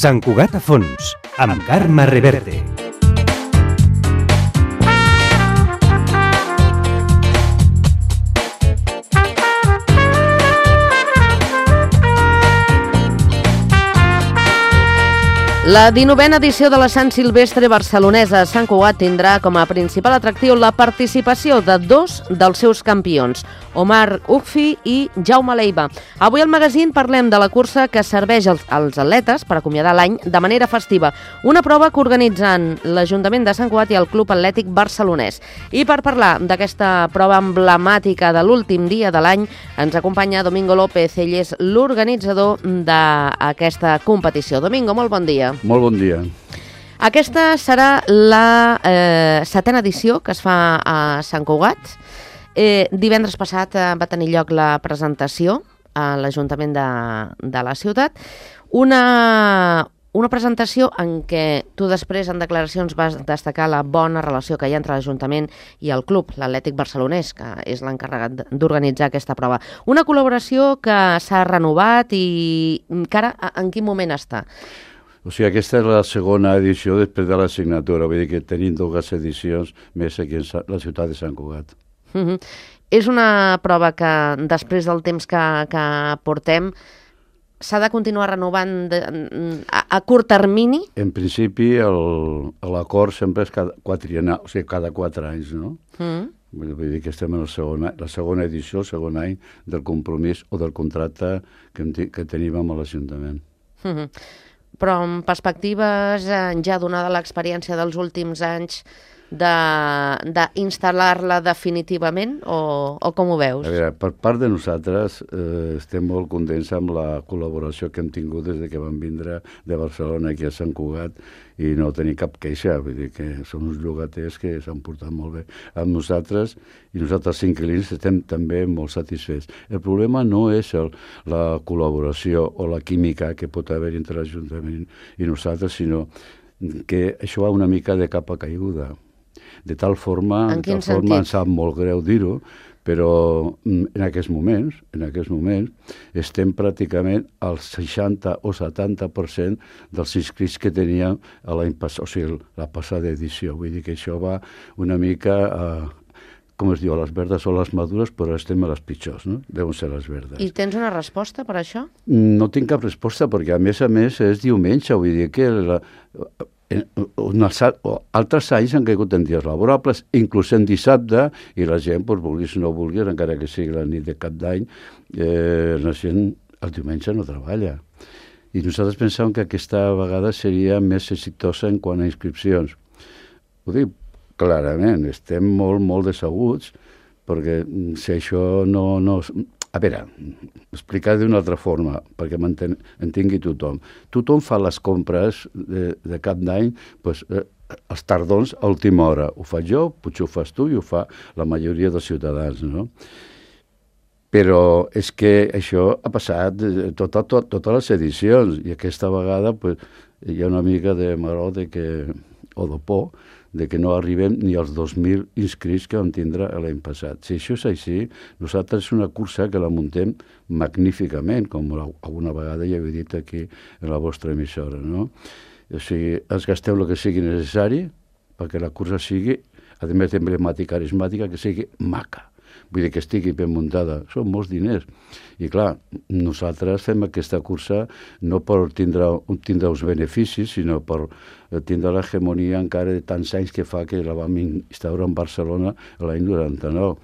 Sant Cugat a fons, amb Carme Reverte. La 19a edició de la Sant Silvestre barcelonesa a Sant Cugat tindrà com a principal atractiu la participació de dos dels seus campions, Omar Ugfi i Jaume Leiva. Avui al magazín parlem de la cursa que serveix als atletes per acomiadar l'any de manera festiva, una prova que organitzen l'Ajuntament de Sant Cugat i el Club Atlètic Barcelonès. I per parlar d'aquesta prova emblemàtica de l'últim dia de l'any, ens acompanya Domingo López, ell és l'organitzador d'aquesta competició. Domingo, molt bon dia. Molt bon dia. Aquesta serà la setena edició que es fa a Sant Cugat. Divendres passat va tenir lloc la presentació a l'Ajuntament de la ciutat. Una presentació en què tu després en declaracions vas destacar la bona relació que hi ha entre l'Ajuntament i el club, l'Atlètic Barcelonès, que és l'encarregat d'organitzar aquesta prova. Una col·laboració que s'ha renovat i que ara en quin moment està? O sigui, aquesta és la segona edició després de la signatura, vull dir que tenim dues edicions més aquí a la ciutat de Sant Cugat. És una prova que després del temps que portem s'ha de continuar renovant a curt termini? En principi l'acord sempre és cada 4 anys, no? Vull dir que estem en la segona edició, el segon any del compromís o del contracte que tenim amb l'Ajuntament. Però en perspectives, ja donada l'experiència dels últims anys, d'instal·lar-la definitivament o com ho veus? A veure, per part de nosaltres estem molt contents amb la col·laboració que hem tingut des que vam vindre de Barcelona aquí a Sant Cugat i no tenir cap queixa, vull dir que són uns llogaters que s'han portat molt bé amb nosaltres i nosaltres inquilins estem també molt satisfets. El problema no és la col·laboració o la química que pot haver entre l'Ajuntament i nosaltres, sinó que això va una mica de capa caiguda. De tal forma, em sap molt greu dir-ho, però en aquests moments estem pràcticament al 60 o 70% dels inscrits que teníem l'any passat, o sigui, la passada edició. Vull dir que això va una mica com es diu, a les verdes o les madures, però estem a les pitjors, no? Deuen ser les verdes. I tens una resposta per això? No tinc cap resposta, perquè a més és diumenge, vull dir que altres anys han caigut en dies laborables, inclús en dissabte, i la gent, vulguis o no vulguis, encara que sigui la nit de cap d'any, la gent el diumenge no treballa. I nosaltres pensàvem que aquesta vegada seria més exitosa en quant a inscripcions. Ho dic clarament, estem molt decebuts, perquè si això no... A veure, explicar d'una altra forma, perquè m'entengui tothom. Tothom fa les compres de cap d'any els tardons a última hora. Ho faig jo, potser ho fas tu i ho fa la majoria dels ciutadans, no? Però és que això ha passat totes les edicions i aquesta vegada hi ha una mica de maror o de por de que no arribem ni als 2.000 inscrits que vam tindre l'any passat. Si això és així, nosaltres és una cursa que la muntem magníficament, com alguna vegada ja he dit aquí en la vostra emissora, no? O sigui, ens gastem el que sigui necessari perquè la cursa sigui, a més emblemàtica, carismàtica, que sigui maca. Vull dir que estigui ben muntada. Són molts diners. I clar, nosaltres fem aquesta cursa no per tindre uns beneficis, sinó per tindre l'hegemonia encara de tants anys que fa que la vam instaurar en Barcelona l'any 99.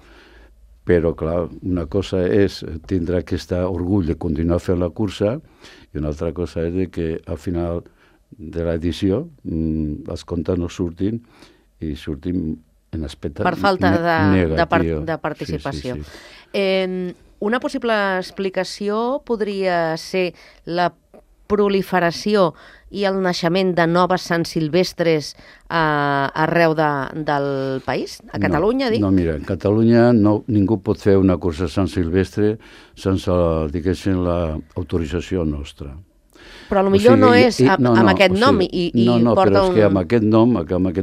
Però, clar, una cosa és tindre aquest orgull de continuar fent la cursa i una altra cosa és que al final de l'edició els comptes no surtin i surtin en aspecte per falta negatiu. de participació. Sí. Una possible explicació podria ser la proliferació i el naixement de noves Sant Silvestres arreu del país? A Catalunya, dic? No, mira, en Catalunya ningú pot fer una cursa Sant Silvestre sense, diguéssim, l'autorització nostra. Però potser no és amb aquest nom i porta però és que amb aquest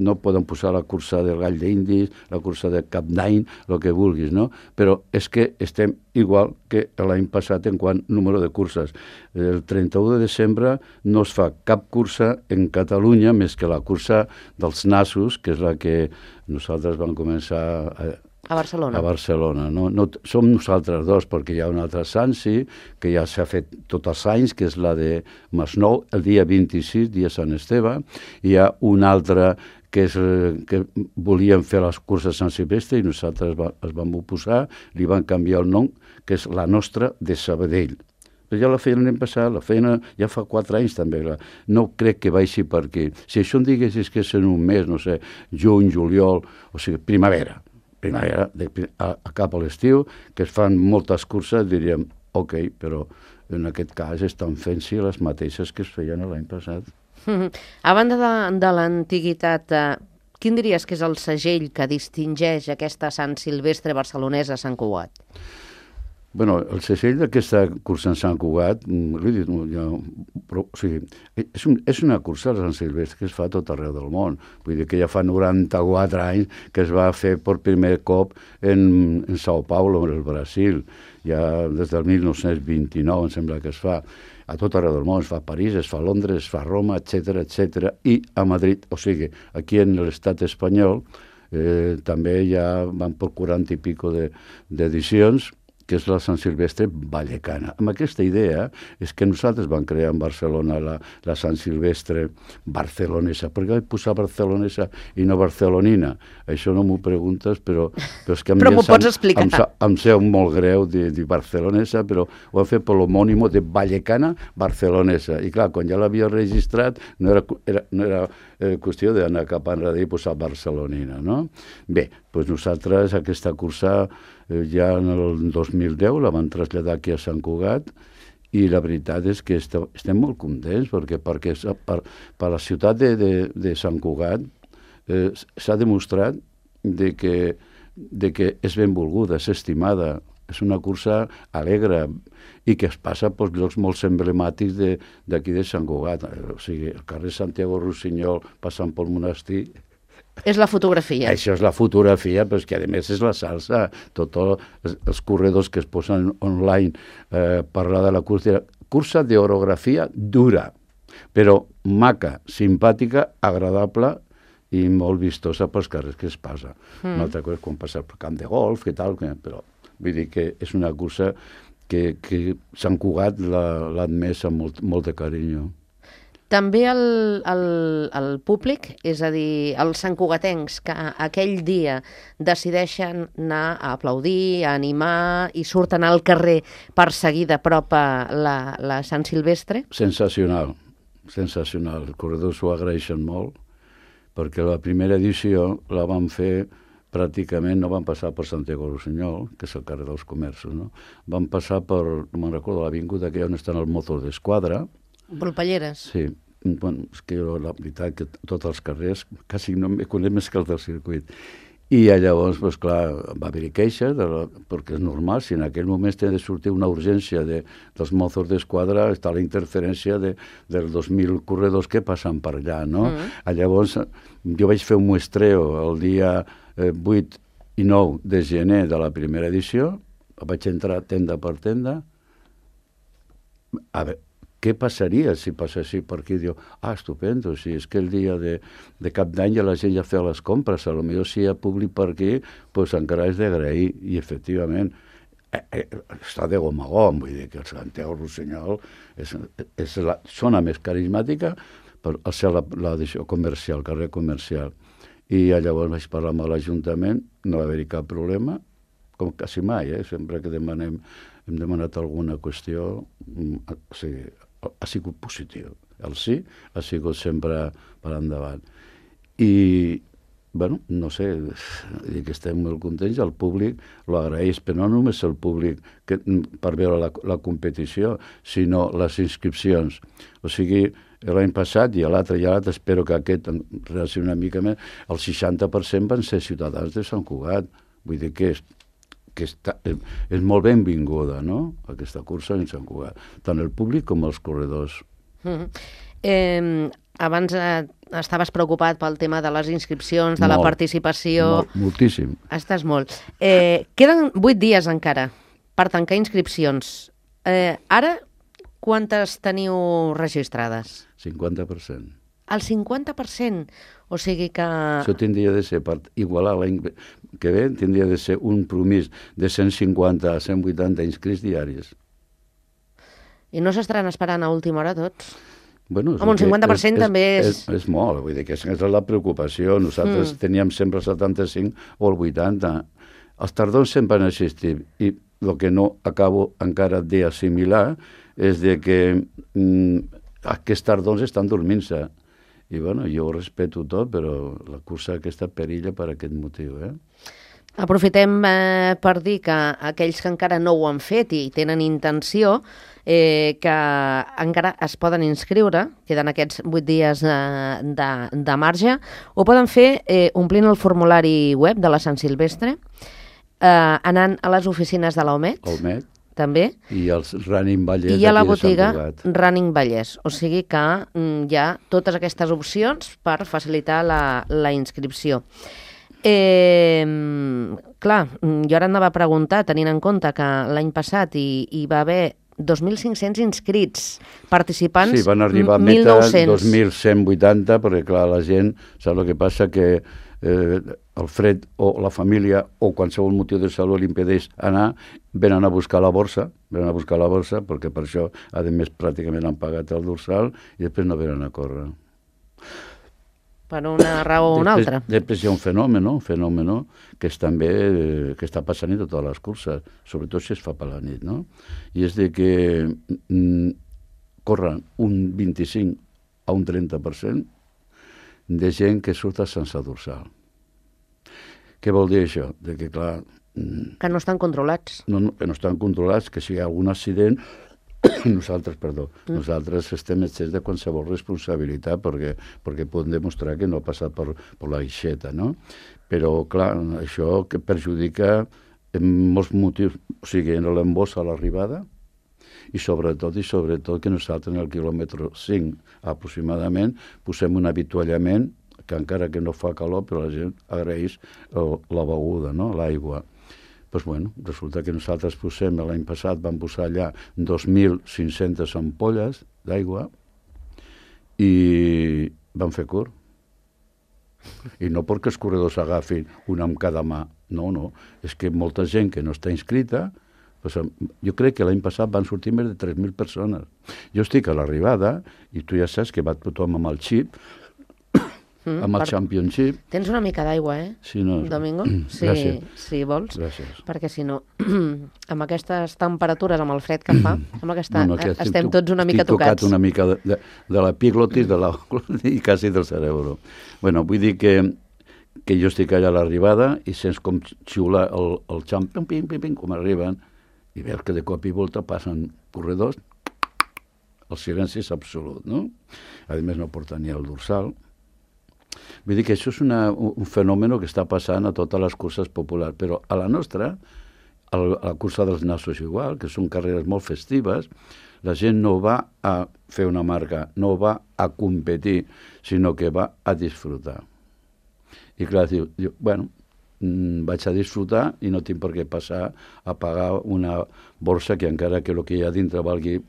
nom poden posar la cursa del Gall d'Indis, la cursa de Cap d'Any, el que vulguis, no? Però és que estem igual que l'any passat en quant número de curses. El 31 de desembre no es fa cap cursa en Catalunya més que la cursa dels nassos, que és la que nosaltres vam començar a Barcelona. A Barcelona. No, som nosaltres dos, perquè hi ha una altra Sansi, que ja s'ha fet tots els anys, que és la de Masnou, el dia 26, dia Sant Esteve. Hi ha una altra que volien fer les curses Sant Silvestre i nosaltres es vam oposar, li van canviar el nom, que és la nostra de Sabadell. Però ja la feien l'any passat, la feien ja fa 4 anys també. No crec que vagi per aquí. Si això em diguessis que és en un mes, no sé, juny, juliol, o sigui, primavera, cap a l'estiu, que es fan moltes curses, diríem, ok, però en aquest cas estan fent-s'hi les mateixes que es feien l'any passat. A banda de l'antiguitat, quin diries que és el segell que distingeix aquesta Sant Silvestre barcelonesa a Sant Cugat? Bueno, el segell d'aquesta cursa en Sant Cugat, és una cursa de Sant Silvestre que es fa a tot arreu del món. Vull dir que ja fa 94 anys que es va fer per primer cop en Sao Paulo, en el Brasil. Ja des del 1929, em sembla que es fa a tot arreu del món. Es fa a París, es fa a Londres, es fa a Roma, etc. I a Madrid, o sigui, aquí en l'estat espanyol també ja van per 40 i pico d'edicions, que és la Sant Silvestre vallecana. Amb aquesta idea és que nosaltres vam crear en Barcelona la Sant Silvestre barcelonesa. Per què vaig posar barcelonesa i no barcelonina? Això no m'ho preguntes, però és que però m'ho pots explicar. Em seu molt greu dir barcelonesa, però ho hem fet per l'homònimo de vallecana barcelonesa. I clar, quan ja l'havia registrat, no era qüestió d'anar cap enrere i posar barcelonina, no? Bé, doncs nosaltres aquesta cursa ja en el 2010 la van traslladar aquí a Sant Cugat i la veritat és que estem molt contents perquè per la ciutat de Sant Cugat s'ha demostrat de que és benvolguda, és estimada, és una cursa alegre i que es passa per llocs molt emblemàtics d'aquí de Sant Cugat. O sigui, el carrer Santiago Rossinyol passant pel monestir. És la fotografia. Això és la fotografia, però és que a més és la salsa. Tots els corredors que es posen online parlar de la cursa d'orografia dura, però maca, simpàtica, agradable i molt vistosa pels carrers que es passa. Una altra cosa és quan passa pel camp de golf, que tal, però vull dir que és una cursa que Sant Cugat l'ha admès amb molt de carinyo. També el públic, és a dir, els santcugatencs que aquell dia decideixen anar a aplaudir, a animar i surten al carrer per seguir de prop la Sant Silvestre? Sensacional. Els corredors ho agraeixen molt, perquè la primera edició la van fer pràcticament, no van passar per Santiago Rossinyol, que és el carrer dels Comerços, no? Van passar per, no me'n recordo, l'avinguda que on estan els Mossos d'Esquadra. Volpelleres. Sí, bueno, és que la veritat que tots els carrers quasi no me conec més que el del circuit. I llavors, doncs clar, va haver-hi queixes, perquè és normal, si en aquell moment té de sortir una urgència dels Mossos d'Esquadra, està la interferència dels 2.000 corredors que passen per allà, no? Llavors, jo vaig fer un muestreo el dia 8 i 9 de gener de la primera edició, vaig entrar tenda per tenda, a veure, què passaria si passessi per aquí? Diu, estupendo, si és que el dia de Cap d'Any ja la gent ja feia les compres, potser si hi ha públic per aquí, doncs encara és d'agrair, i efectivament està de gom a gom, vull dir que el Santiago Rossinyol és la zona més carismàtica per ser l'edició comercial, carrer comercial. I llavors vaig parlar amb l'Ajuntament, no va haver-hi cap problema, com quasi mai, sempre que hem demanat alguna qüestió, o sigui, ha sigut positiu. El sí ha sigut sempre per endavant. I, bueno, no sé, que estem molt contents, el públic lo agraeix, però no només el públic per veure la competició, sinó les inscripcions. O sigui, l'any passat i l'altre, espero que aquest reaccioni una mica més, el 60% van ser ciutadans de Sant Cugat. Vull dir que és molt benvinguda, no?, aquesta cursa en Sant Cugat, tant el públic com els corredors. Abans estaves preocupat pel tema de les inscripcions, de la participació... Moltíssim. Estàs molt. Queden 8 dies encara per tancar inscripcions. Ara, quantes teniu registrades? 50%. El 50%? O sigui que... Això tindria de ser, per igualar l'any que ve, tindria de ser un promís de 150 a 180 inscrits diaris. I no s'estaran esperant a última hora tots? Bueno, home, un 50% també és... És molt, vull dir que és la preocupació. Nosaltres teníem sempre el 75 o el 80. Els tardors sempre han existit i el que no acabo encara d'assimilar és de que aquests tardors estan dormint-se. I bueno, jo ho respeto tot, però la cursa aquesta perilla per aquest motiu. Aprofitem per dir que aquells que encara no ho han fet i tenen intenció, que encara es poden inscriure, queden aquests 8 dies de marge, ho poden fer omplint el formulari web de la Sant Silvestre, anant a les oficines de l'OMET, també. I els Running Vallès i a la botiga Running Vallès. O sigui que hi ha totes aquestes opcions per facilitar la inscripció. Clar, jo ara anava a preguntar, tenint en compte que l'any passat hi va haver 2.500 inscrits, participants 1.900. Sí, van arribar a meta 2.180, perquè clar, la gent, saps el que passa? Que el fred o la família o qualsevol motiu de salut li impedeix anar, venen a buscar la borsa, perquè per això, a més, pràcticament han pagat el dorsal i després no venen a córrer. Per una raó o una altra. Després hi ha un fenomen que és també que està passant en totes les curses, sobretot si es fa per la nit, no? I és de que corren un 25 a un 30% de gent que surt sense dorsal. Què vol dir això? De que, clar... Que no estan controlats. Que no estan controlats, que si hi ha algun accident, nosaltres estem excés de qualsevol responsabilitat perquè podem demostrar que no ha passat per la guixeta, no? Però, clar, això que perjudica en molts motius, o sigui, en l'embós a l'arribada, i sobretot que nosaltres en el quilòmetre 5 aproximadament posem un avituallament que encara que no fa calor, però la gent agraeix la beguda, no? L'aigua. Doncs bueno, resulta que nosaltres posem, l'any passat vam posar allà 2.500 ampolles d'aigua i vam fer curt. I no perquè els corredors agafin una amb cada mà, no, és que molta gent que no està inscrita, jo crec que l'any passat van sortir més de 3.000 persones. Jo estic a l'arribada i tu ja saps que va tothom amb el xip, amb el Championship. Tens una mica d'aigua, Sí, no. Domingo? Si vols. Gràcies. Perquè si no, amb aquestes temperatures, amb el fred que fa, sembla que estem tots una mica tocats. Estic tocat una mica de l'epiglotis i quasi del cerebro. Bueno, vull dir que jo estic allà a l'arribada i sents com xiular el Champion, com arriben, i veus que de cop i volta passen corredors, el silenci és absolut, no? A més no porta ni el dorsal. Vull dir que això és un fenomen que està passant a totes les curses populars, però a la nostra, a la cursa dels nassos igual, que són carreres molt festives, la gent no va a fer una marca, no va a competir, sinó que va a disfrutar. I clar, diu, bueno, vaig a disfrutar i no tinc per què passar a pagar una borsa que encara que el que hi ha dintre valgui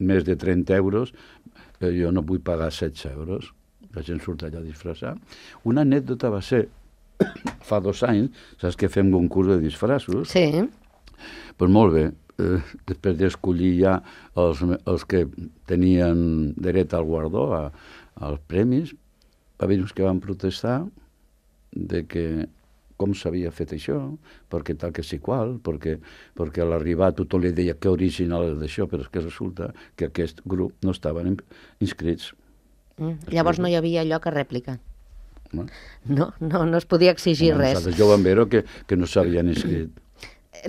més de 30 euros, jo no vull pagar 16 euros. La gent surt allà a disfressar. Una anècdota va ser, fa 2 anys, saps que fem concurs de disfressos? Sí. Doncs molt bé, després d'escollir ja els que tenien dret al guardó, als premis, va haver uns que van protestar de que com s'havia fet això, perquè tal que sí qual, perquè a l'arribar tothom li deia que original és d'això, però és que resulta que aquest grup no estaven inscrits. Llavors no hi havia lloc a rèplica. No es podia exigir res. Nosaltres ja ho vam veure que no s'havien inscrit.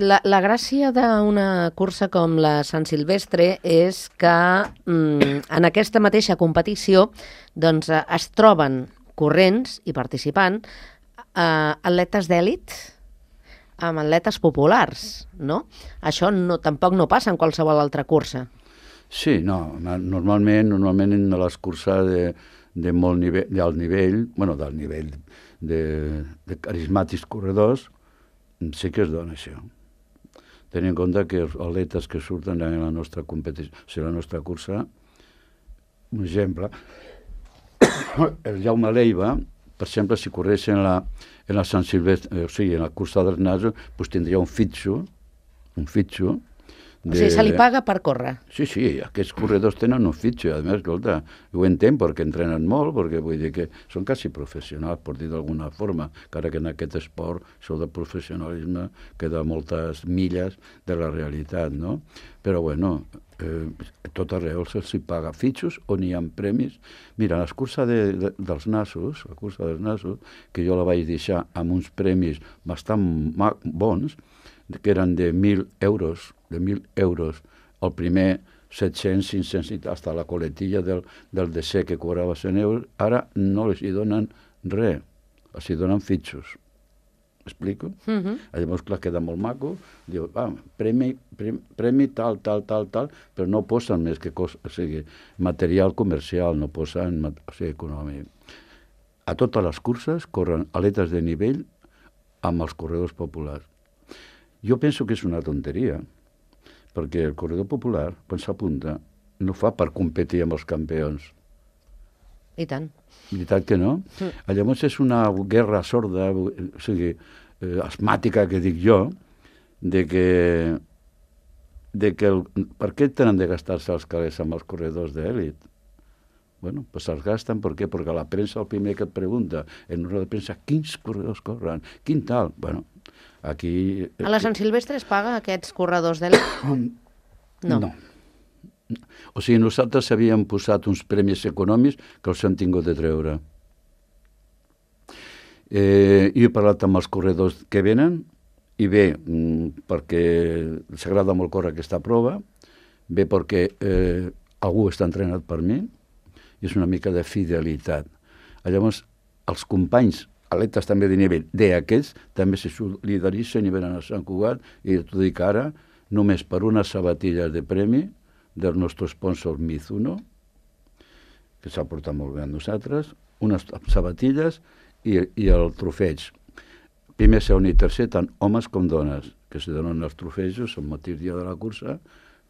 La gràcia d'una cursa com la Sant Silvestre és que en aquesta mateixa competició doncs, es troben corrents i participant atletes d'èlit amb atletes populars, no? Això tampoc no passa en qualsevol altra cursa. Sí, no, normalment en les curses de molt nivell, d'alt nivell, d'alt nivell de carismàtics corredors, sí que es dona això. Tenint en compte que els atletes que surten en la nostra competició, o sigui, la nostra cursa, un exemple, el Jaume Leiva, per exemple, si corrés en la Sant Silvestre, o sigui, en la cursa dels nasos, doncs tindria un fitxo, O sigui, se li paga per córrer. Sí, aquests corredors tenen un fitxo, a més, escolta, ho entenc perquè entrenen molt, perquè vull dir que són quasi professionals, per dir d'alguna forma, encara que en aquest esport això del professionalisme queda moltes milles de la realitat, no? Però, bueno, tot arreu se'ls paga fitxos on hi ha premis. Mira, la cursa dels nasos, que jo la vaig deixar amb uns premis bastant bons, que eren de 1.000 euros, el primer 700, 500, fins a la coletilla del DC que cobrava 100 euros, ara no els hi donen res, els hi donen fitxos. M'explico? Llavors, clar, queda molt maco, diu, premi tal, però no posen més que material comercial, no posen econòmic. A totes les curses corren atletes de nivell amb els corredors populars. Jo penso que és una tonteria, perquè el corredor popular, quan s'apunta, no fa per competir amb els campions. I tant. Veritat que no? Llavors és una guerra sorda, o sigui, asmàtica, que dic jo, de que per què tenen de gastar-se els calés amb els corredors d'èlit? Bueno, pues se'ls gasten, per què? Perquè la premsa, el primer que et pregunta, en una de premsa, quins corredors corren? Quin tal? Bueno, aquí... A la Sant Silvestre es paga aquests corredors d'èlit? No. O sigui, nosaltres havíem posat uns premis econòmics que els hem tingut de treure. Jo he parlat amb els corredors que venen, i bé, perquè s'agrada molt córrer aquesta prova, bé perquè algú està entrenat per mi, i és una mica de fidelitat. Llavors, els companys, atletes també de nivell d'aquests, també se solidaritzen i venen a Sant Cugat, i t'ho dic ara, només per unes sabatilles de premi del nostre sponsor Mizuno, que s'ha portat molt bé amb nosaltres, unes sabatilles i el trofeig. Primer, segon i tercer, tant homes com dones, que se donen els trofejos el mateix dia de la cursa,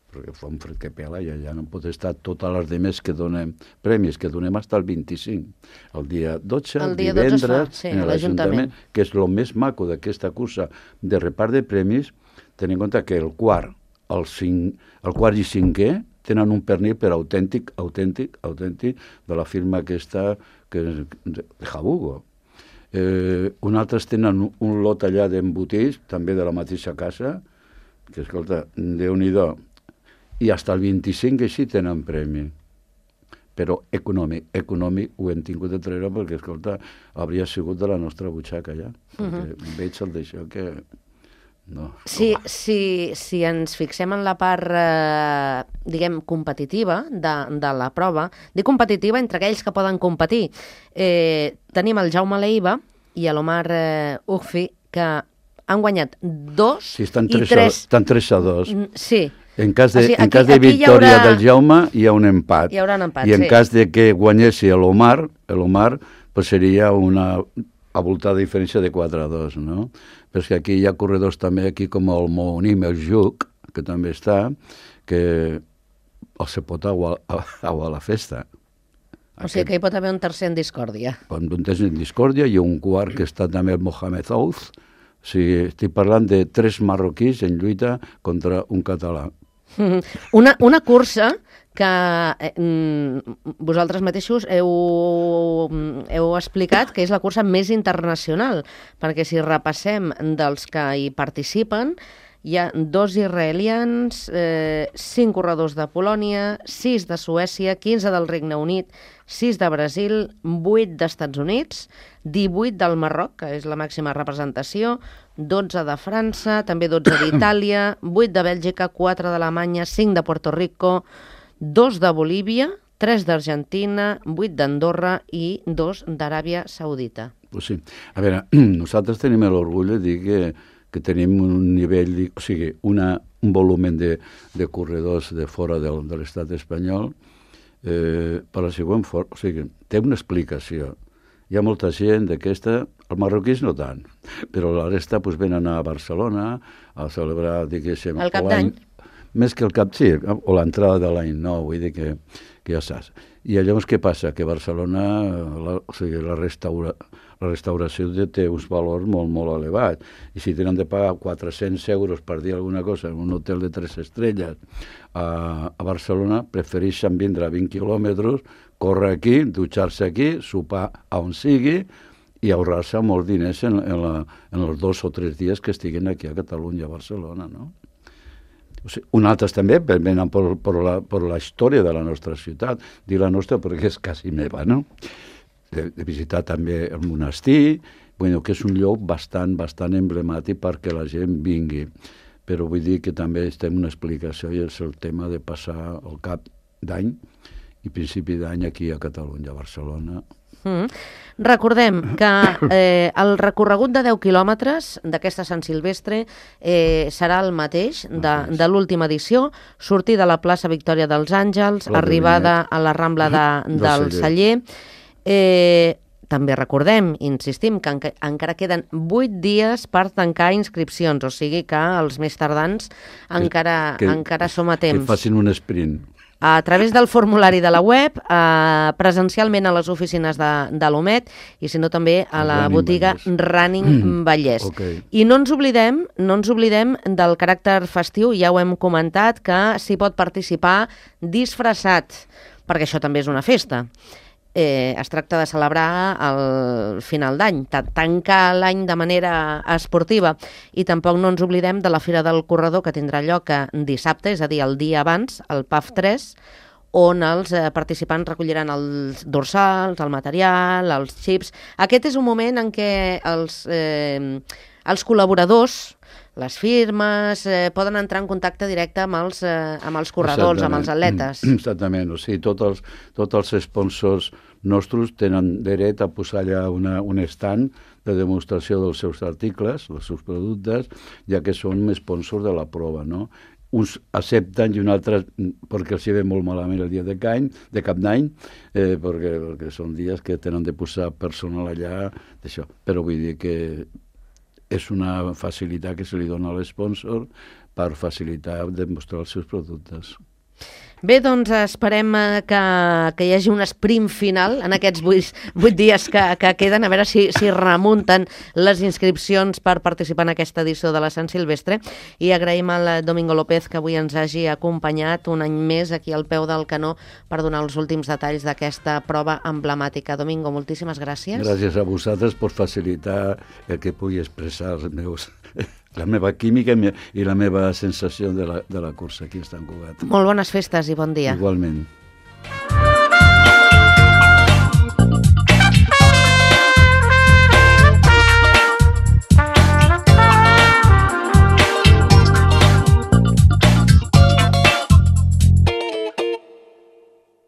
perquè fa un fred que pela i allà no pot estar totes les demés que donem premis, que donem fins al 25. El dia 12, el divendres, en l'Ajuntament, que és el més maco d'aquesta cursa de repart de premis, tenint en compte que el quart i cinquè tenen un pernil per autèntic de la firma aquesta que és de Jabugo. Un altres tenen un lot allà d'embotits, també de la mateixa casa, que, escolta, Déu-n'hi-do, i fins al 25 així tenen premi. Però econòmic ho hem tingut de treure perquè, escolta, hauria sigut de la nostra butxaca ja. Perquè veig el d'això que... No. Si ens fixem en la part, diguem, competitiva de la prova, dic competitiva entre aquells que poden competir. Tenim el Jaume Leiva i l'Omar Ugfi, que han guanyat 2 i 3. Estan 3-2. Sí. En cas de victòria del Jaume hi ha un empat. Hi haurà un empat, i en cas de que guanyessi l'Omar, pues seria una avoltada diferència de 4-2, no? Però és que aquí hi ha corredors també, aquí com el Monim, el Juc, que també està, que se pot aguar a la festa. O sigui que hi pot haver un tercer en discòrdia. Un tercer en discòrdia i un quart que està també el Mohamed Ouz. O sigui, estic parlant de 3 marroquís en lluita contra un català. Una cursa que vosaltres mateixos heu explicat que és la cursa més internacional, perquè si repassem dels que hi participen, hi ha 2 israelians, 5 corredors de Polònia, 6 de Suècia, 15 del Regne Unit, 6 de Brasil, 8 d'Estats Units, 18 del Marroc, que és la màxima representació, 12 de França, també 12 d'Itàlia, 8 de Bèlgica, 4 d'Alemanya, 5 de Puerto Rico, 2 de Bolívia, 3 d'Argentina, 8 d'Andorra i 2 d'Aràbia Saudita. Pues sí. A veure, nosaltres tenim l'orgull de dir que tenim un nivell, o sigui, una un volum de corredors de fora de l'estat espanyol, per la següent forma. O sigui, té una explicació. Hi ha molta gent d'aquesta, els marroquins no tant, però la resta pues, venen a Barcelona a celebrar, diguéssim... El cap d'any. Més que el cap, sí, o l'entrada de l'any nou, vull dir que ja saps. I llavors què passa? Que Barcelona, o sigui, la restauració té uns valors molt, molt elevats. I si tenen de pagar 400 euros per dir alguna cosa en un hotel de 3 estrelles a Barcelona, prefereixen vindre a 20 quilòmetres, córrer aquí, dutxar-se aquí, sopar a on sigui i ahorrar-se molts diners en els 2 o 3 dies que estiguin aquí a Catalunya, a Barcelona, no? O sigui, un altres també venen per la història de la nostra ciutat, dir la nostra perquè és quasi meva, no? De visitar també el monestir, bueno, que és un lloc bastant emblemàtic perquè la gent vingui. Però vull dir que també estem una explicació i és el tema de passar el cap d'any i principi d'any aquí a Catalunya, a Barcelona. Recordem que el recorregut de 10 quilòmetres d'aquesta Sant Silvestre serà el mateix de l'última edició, sortir de la plaça Victòria dels Àngels, arribada a la Rambla del Celler. També recordem, insistim, que encara queden 8 dies per tancar inscripcions, o sigui que els més tardans encara som a temps. Que facin un sprint. A través del formulari de la web, presencialment a les oficines de l'OMET i, si no, també a la botiga Running Vallès. Okay. I no ens oblidem del caràcter festiu, ja ho hem comentat, que s'hi pot participar disfressat, perquè això també és una festa. Es tracta de celebrar el final d'any, tancar l'any de manera esportiva, i tampoc no ens oblidem de la Fira del Corredor, que tindrà lloc dissabte, és a dir, el dia abans, el PAF 3, on els participants recolliran els dorsals, el material, els xips. Aquest és un moment en què els col·laboradors, les firmes, poden entrar en contacte directe amb els corredors, amb els atletes. Exactament, o sigui, tots els sponsors nostres tenen dret a posar allà un stand de demostració dels seus articles, dels seus productes, ja que són sponsors de la prova, no? Uns accepten i uns altres perquè els hi ve molt malament el dia de cap d'any, perquè són dies que tenen de posar personal allà, d'això. Però vull dir que és una facilitat que se li dona a l'esponsor per facilitar demostrar els seus productes. Bé, doncs esperem que hi hagi un sprint final en aquests 8 dies que queden, a veure si remunten les inscripcions per participar en aquesta edició de la Sant Silvestre, i agraïm al Domingo López que avui ens hagi acompanyat un any més aquí al peu del canó per donar els últims detalls d'aquesta prova emblemàtica. Domingo, moltíssimes gràcies. Gràcies a vosaltres per facilitar el que pugui expressar la meva química i la meva sensació de la cursa aquí a Sant Cugat. Molt bones festes i bon dia. Igualment.